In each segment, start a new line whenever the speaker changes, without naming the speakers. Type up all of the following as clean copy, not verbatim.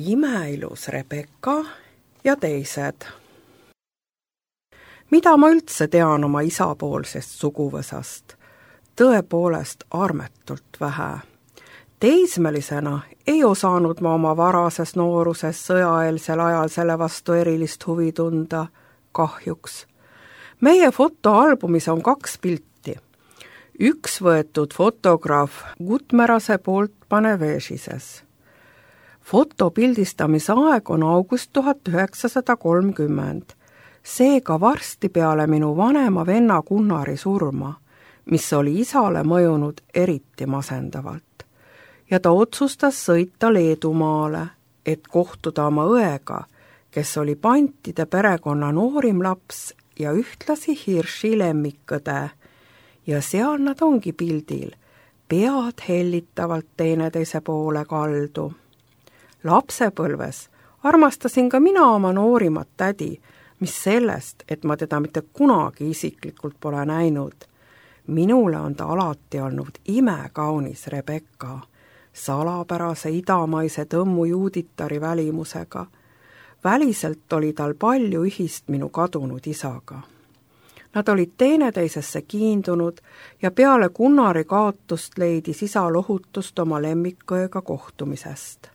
Imeilus Rebecca ja teised. Mida ma üldse tean oma isapoolsest suguvõsast? Tõepoolest armetult vähe. Teismelisena ei osanud ma oma varases nooruses sõjaeelsel ajal selle vastu erilist huvi tunda, kahjuks. Meie fotoalbumis on 2 pilti. Üks võetud fotograaf Gutmerase poolt Panevežises. Foto pildistamise aeg on august 1930. Seega varsti peale minu vanema venna Gunnari surma, mis oli isale mõjunud eriti masendavalt. Ja ta otsustas sõita Leedumaale, et kohtuda oma õega, kes oli Pantide perekonna noorim laps ja ühtlasi Hirši lemmikõde. Ja seal nad ongi pildil, pead hellitavalt teineteise poole kaldu. Lapsepõlves armastasin ka mina oma noorimat tädi, mis sellest, et ma teda mitte kunagi isiklikult pole näinud. Minule on ta alati olnud imekaunis Rebecca, salapärase idamaise tõmmu juuditari välimusega. Väliselt oli tal palju ühist minu kadunud isaga. Nad olid teineteisesse kiindunud ja peale Gunnari kaotust leidis isa lohutust oma lemmikõega kohtumisest.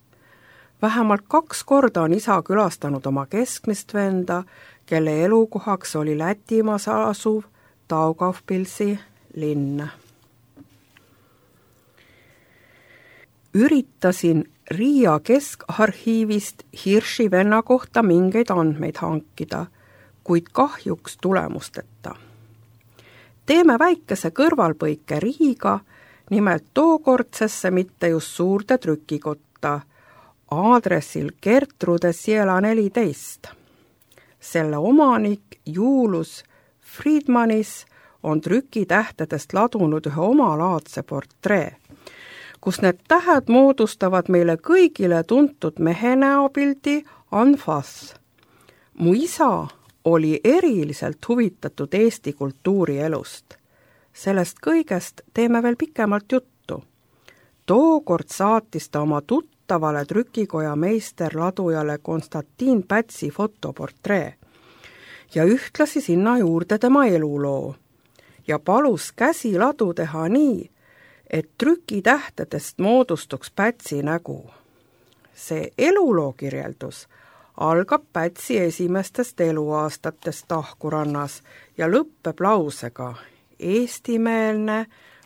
Vähemalt 2 korda on isa külastanud oma keskmist venda, kelle elukohaks oli Lätimaas asuv Daugavpilsi linn. Üritasin Riia keskarhiivist Hirši venna kohta mingeid andmeid hankida, kuid kahjuks tulemusteta. Teeme väikese kõrvalpõike Riiga, nimelt tookordsesse mitte just suurde trükikotta, aadressil Gertrude Siela 14. Selle omanik Juulus Friedmanis on trükitähtedest ladunud ühe omalaadse portree, kus need tähed moodustavad meile kõigile tuntud mehe näopildi Anfas. Mu isa oli eriliselt huvitatud Eesti kultuurielust. Sellest kõigest teeme veel pikemalt juttu. Tookord saatis ta oma tuttavale trükikoja meisterladujale Konstantin Pätsi fotoportree ja ühtlasi sinna juurde tema eluloo ja palus käsiladu teha nii, et trükitähtedest moodustuks Pätsi nägu. See eluloo kirjeldus algab Pätsi esimestest eluaastatest Tahkurannas ja lõppeb lausega eestimeelne,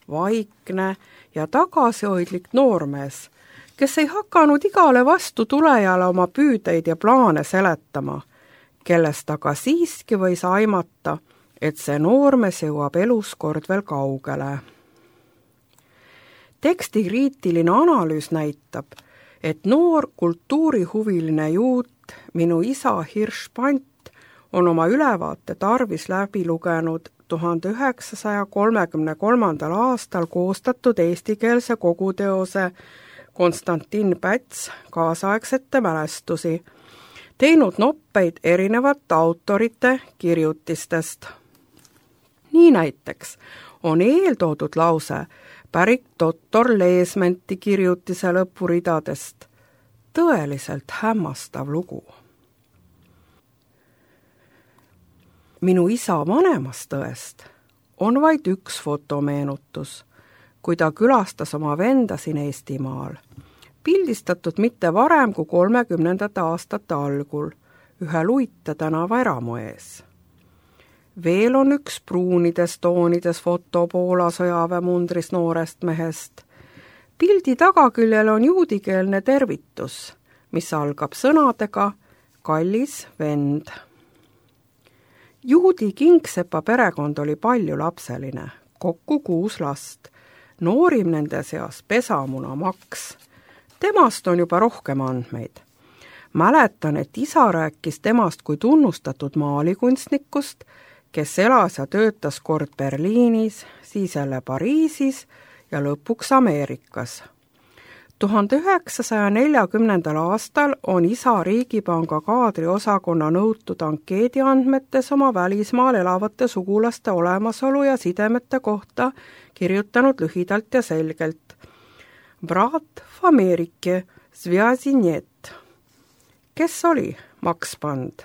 vaikne ja tagasihoidlik noormees, kes ei hakanud igale vastu tulejale oma püüdeid ja plaane seletama, kellest aga siiski võis aimata, et see noormees jõuab elus kord veel kaugele. Teksti kriitiline analüüs näitab, et noor kultuurihuviline juut, minu isa Hirš Pant, on oma ülevaate tarvis läbi lugenud 1933. aastal koostatud eestikeelse koguteose Konstantin Päts kaasaegsete mälestusi, teinud noppeid erinevate autorite kirjutistest. Nii näiteks on eeltoodud lause pärit doktor Leesmenti kirjutise lõpuridadest. Tõeliselt hämmastav lugu. Minu isa vanemast õest on vaid üks fotomeenutus, kui ta külastas oma venda siin Eestimaal, pildistatud mitte varem kui 30. aastate algul ühe Luite tänava eramu ees. Veel on üks pruunides toonides foto Poola sõjaväemundris noorest mehest. Pildi tagaküljel on juudikeelne tervitus, mis algab sõnadega kallis vend. Juudi Kingsepa perekond oli paljulapseline, kokku 6 last, noorim nende seas pesamuna Maks. Temast on juba rohkem andmeid. Mäletan, et isa rääkis temast kui tunnustatud maalikunstnikust, kes elas ja töötas kord Berliinis, siis jälle Pariisis ja lõpuks Ameerikas. 1940. aastal on isa Riigipanga kaadriosakonna nõutud ankeediandmetes oma välismaal elavate sugulaste olemasolu ja sidemete kohta kirjutanud lühidalt ja selgelt. Brat v Amerike, svjazi net. Kes oli Max Band?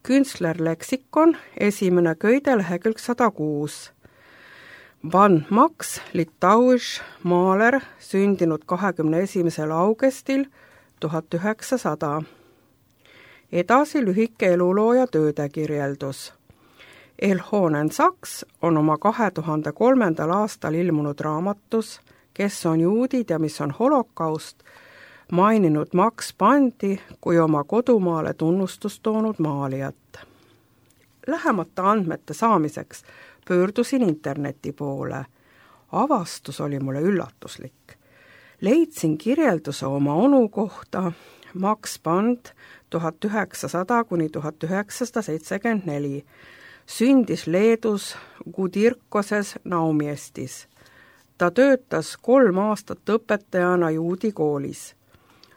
Künstlerleksikon, 1. köide, lehekülg 106. Band Max, litauiš maaler, sündinud 21. augustil 1900. Edasi lühike eluloo ja tööde kirjeldus. Elhonen Saks on oma 2003. aastal ilmunud raamatus Kes on juudid ja mis on holokaust maininud Max Bandi kui oma kodumaale tunnustust toonud maalijat. Lähemate andmete saamiseks pöördusin interneti poole. Avastus oli mulle üllatuslik. Leidsin kirjelduse oma onu kohta Max Band 1900–1974. Sündis Leedus Kudirkoses Naumiestis. Ta töötas 3 aastat õpetajana juudi koolis.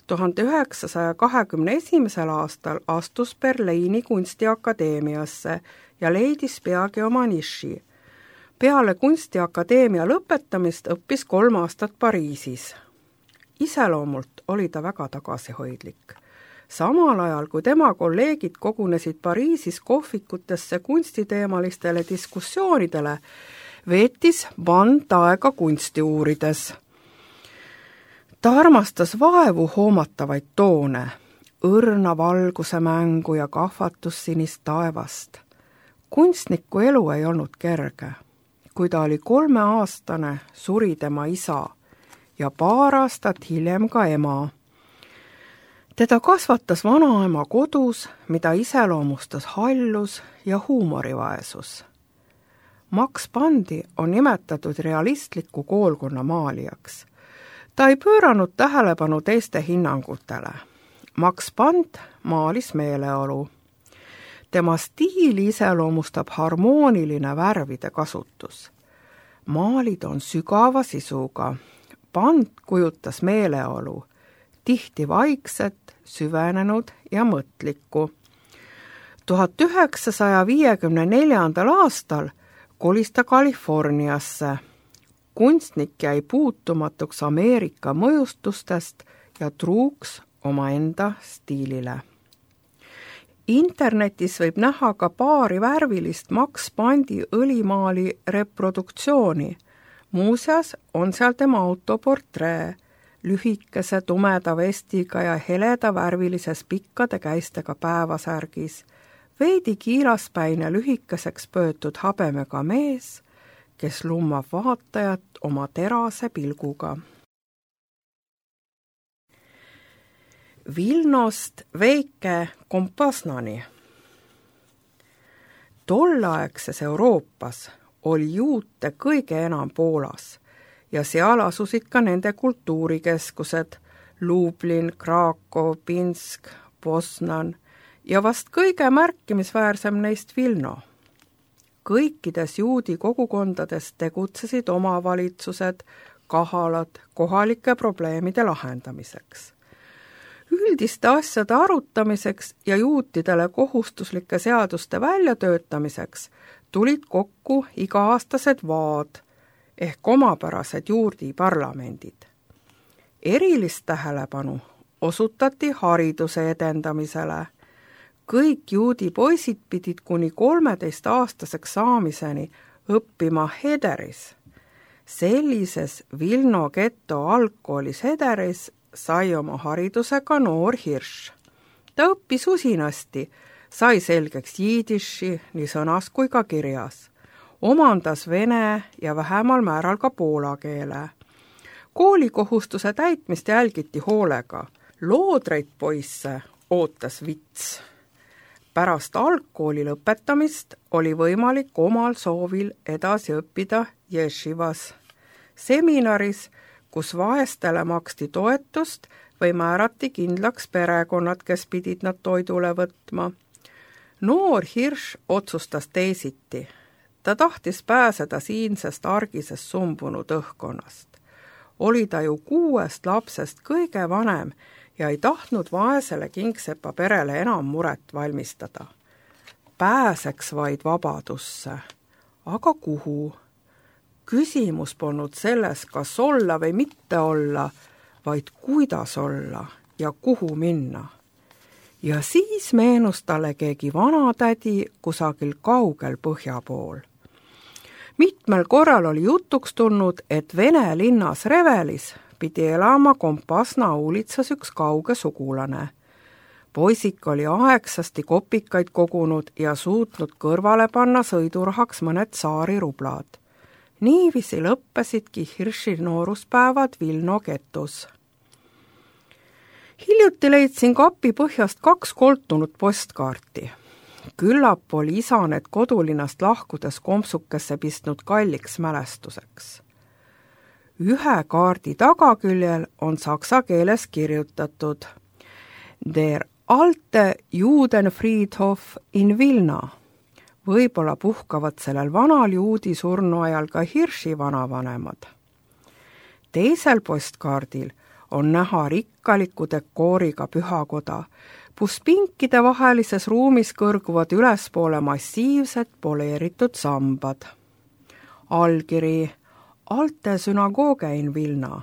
1921. aastal astus Berliini kunstiakadeemiasse ja leidis peagi oma niši. Peale kunstiakadeemia lõpetamist õppis 3 aastat Pariisis. Iseloomult oli ta väga tagasihoidlik. Samal ajal, kui tema kolleegid kogunesid Pariisis kohvikutesse kunstiteemalistele diskussioonidele, veetis Band aega kunsti uurides. Ta armastas vaevu hoomatavaid toone, õrna valguse mängu ja kahvatussinist taevast. Kunstniku elu ei olnud kerge. Kui ta oli 3-aastane, suri tema isa ja 2 aastat hiljem ka ema. Teda kasvatas vanaema kodus, mida iseloomustas hallus ja huumorivaesus. Max Bandi on nimetatud realistliku koolkonna maalijaks. Ta ei pööranud tähelepanu teiste hinnangutele. Max Band maalis meeleolu. Tema stiili iseloomustab harmooniline värvide kasutus. Maalid on sügava sisuga. Band kujutas meeleolu, tihti vaikset, süvenenud ja mõtlikku. 1954. aastal kolis ta Californiasse. Kunstnik jäi puutumatuks Ameerika mõjustustest ja truuks omaenda stiilile. Internetis võib näha ka paari värvilist Max Bandi õlimaali reproduktsiooni. Muuseas on seal tema autoportree, lühikese tumeda vestiga ja heleda värvilises pikkade käistega päevasärgis, veidi kiilaspäine lühikeseks pöötud habemega mees, kes lummab vaatajat oma terase pilguga. Vilnost Veike Kompasnani. Tolleaegses Euroopas oli juute kõige enam Poolas ja seal asusid ka nende kultuurikeskused Lublin, Krakow, Pinsk, Poznan ja vast kõige märkimisväärsem neist Vilno. Kõikides juudi kogukondades tegutsesid omavalitsused, kahalad kohalike probleemide lahendamiseks. Üldiste asjade arutamiseks ja juutidele kohustuslike seaduste väljatöötamiseks tulid kokku iga-aastased vaad ehk omapärased juudi parlamendid. Erilist tähelepanu osutati hariduse edendamisele. Kõik juudi poisid pidid kuni 13-aastaseks saamiseni õppima Hederis. Sellises Vilno geto algkoolis Hederis sai oma haridusega noor Hirš. Ta õppis usinasti, sai selgeks jiidiši nii sõnas kui ka kirjas. Omandas vene ja vähemal määral ka poola keele. Koolikohustuse täitmist jälgiti hoolega. Loodreid poisse ootas vits. Pärast algkooli lõpetamist oli võimalik omal soovil edasi õppida ješivas, seminaris, kus vaestele maksti toetust või määrati kindlaks perekonnad, kes pidid nad toidule võtma. Noor Hirš otsustas teisiti. Ta tahtis pääseda siinsest argisest sumbunud õhkkonnast. Oli ta ju 6 lapsest kõige vanem ja ei tahtnud vaesele kingsepa perele enam muret valmistada. Pääseks vaid vabadusse. Aga kuhu? Küsimus polnud selles, kas olla või mitte olla, vaid kuidas olla ja kuhu minna. Ja siis meenus talle keegi vanatädi kusagil kaugel põhja pool. Mitmel korral oli jutuks tulnud, et Vene linnas Revelis pidi elama Kompasna uulitsas üks kauge sugulane. Poisik oli aegsasti kopikaid kogunud ja suutnud kõrvale panna sõidurahaks mõned saari rublad. Niiviisi lõppesidki Hirši nooruspäevad Vilno getus. Hiljuti leidsin kapi põhjast 2 koltunud postkaarti. Küllap oli isa need kodulinnast lahkudes kompsukesse pistnud kalliks mälestuseks. Ühe kaardi tagaküljel on saksa keeles kirjutatud Der alte Judenfriedhof in Vilna. Võib-olla puhkavad sellel vanal juudi surnu ajal ka Hirši vanavanemad. Teisel postkaardil on näha rikkaliku dekooriga pühakoda, kus pinkide vahelises ruumis kõrguvad ülespoole massiivsed poleeritud sambad. Allkiri Alte sünagooge in Vilna.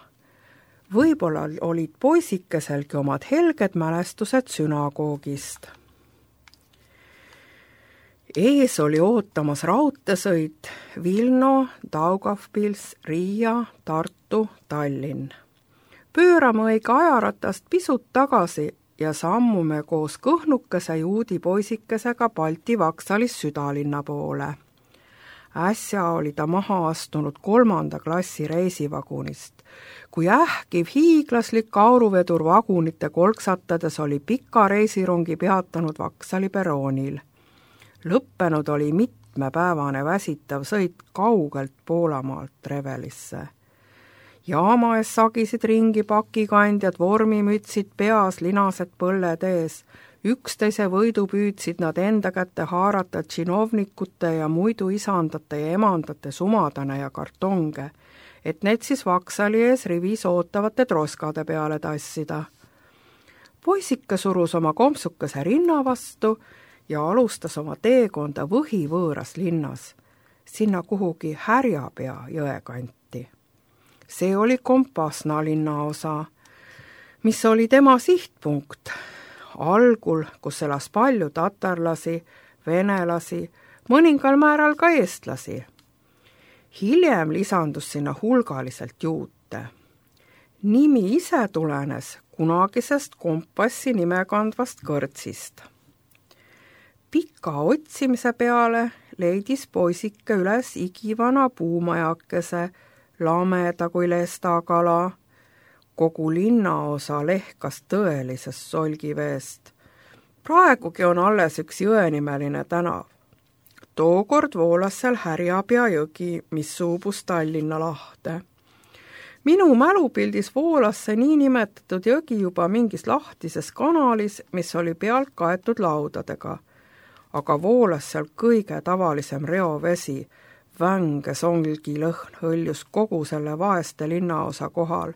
Võib-olla olid poisikeselgi omad helged mälestused sünagoogist. Ees oli ootamas raudteesõit Vilno, Daugavpils, Riia, Tartu, Tallinn. Pöörame õige ajaratast pisut tagasi ja sammume koos kõhnukese juudi poisikesega Balti vaksalis südalinna poole. Äsja oli ta maha astunud 3. klassi reisivagunist, kui ähkiv hiiglaslik auruvedur vagunite kolksatades oli pika reisirungi peatanud Vaksali peroonil. Lõppenud oli mitmepäevane väsitav sõit kaugelt Poolamaalt Revelisse. Jaama ees sagisid ringi pakikandjad, vormimütsid peas, linased põlled ees. Üksteise võidu püüdsid nad enda kätte haarata tšinovnikute ja muidu isandate ja emandate sumadane ja kartonge, et need siis Vaksali ees rivis ootavate troskade peale tassida. Poisike surus oma kompsukese rinna vastu ja alustas oma teekonda võhivõõras linnas, sinna kuhugi Härjapea jõe kanti. See oli Kompasna linnaosa, mis oli tema sihtpunkt. Algul, kus elas palju tatarlasi, venelasi, mõningal määral ka eestlasi. Hiljem lisandus sinna hulgaliselt juute. Nimi ise tulenes kunagisest Kompassi nime kandvast kõrtsist. Pika otsimise peale leidis poisike üles igivana puumajakese, lameda kui lestakala. Kogu linnaosa lehkas tõelisest solgiveest. Praegugi on alles üks jõenimeline tänav. Tookord voolas seal Härjapea jõgi, mis suubus Tallinna lahte. Minu mälupildis voolas see niinimetatud jõgi juba mingis lahtises kanalis, mis oli pealt kaetud laudadega. Aga voolas seal kõige tavalisem reovesi, vänge songi lõhn hõljus kogu selle vaeste linnaosa kohal.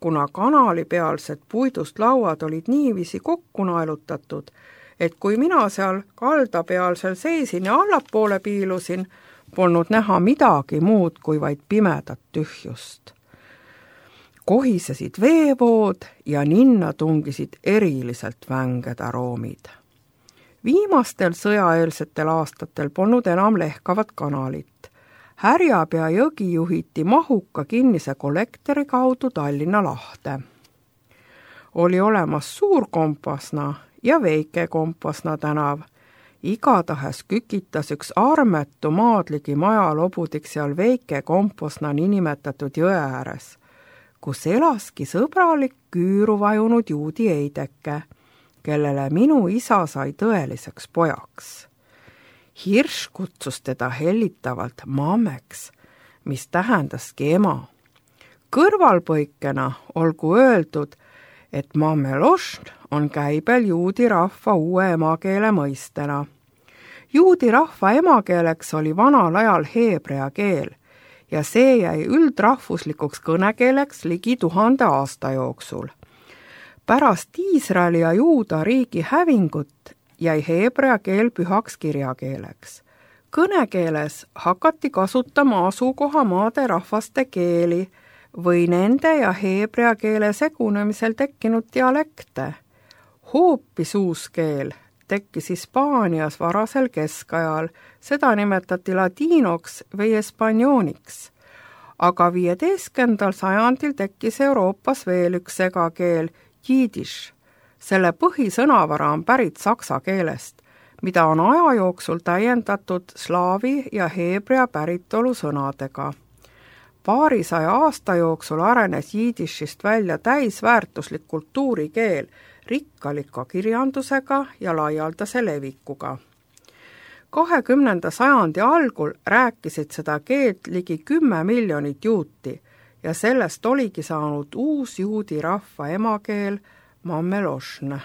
Kuna kanali pealsed puidust lauad olid niiviisi kokku naelutatud, et kui mina seal kaldapealsel seisin ja allapoole piilusin, polnud näha midagi muud kui vaid pimedat tühjust. Kohisesid veevood ja ninna tungisid eriliselt vänged aroomid. Viimastel sõjaeelsetel aastatel polnud enam lehkavat kanalit. Härjapea jõgi juhiti mahuka kinnise kollektori kaudu Tallinna lahte. Oli olemas Suur Kompasna ja Väike Kompasna tänav. Igatahes kükitas üks armetu maadligi majalobudik seal Väike Kompasna niinimetatud jõe ääres, kus elaski sõbralik küüru vajunud juudi eideke, kellele minu isa sai tõeliseks pojaks. Hirš kutsus teda hellitavalt Mammeks, mis tähendaski ema. Kõrvalpõikena olgu öeldud, et Mammelošn on käibel juudi rahva uue emakeele mõistena. Juudi rahva emakeeleks oli vanal ajal heebrea keel ja see jäi üldrahvuslikuks kõnekeeleks ligi 1000 aasta jooksul. Pärast Iisraeli ja Juuda riigi hävingut jäi heebrea keel pühaks kirjakeeleks. Kõnekeeles hakati kasutama asukohamaade rahvaste keeli või nende ja heebrea keele segunemisel tekkinud dialekte. Hoopis uus keel tekkis Hispaanias varasel keskajal, seda nimetati latiinoks või espanjooniks. Aga 15. sajandil tekkis Euroopas veel üks segakeel, jiidiš. Selle põhisõnavara on pärit saksa keelest, mida on aja jooksul täiendatud slaavi ja heebrea päritolu sõnadega. Paarisaja aasta jooksul arenes jiidišist välja täisväärtuslik kultuurikeel, rikkalika kirjandusega ja laialdase levikuga. 20. sajandi algul rääkisid seda keelt ligi 10 miljonit juuti ja sellest oligi saanud uus juudi rahva emakeel Mamelošne.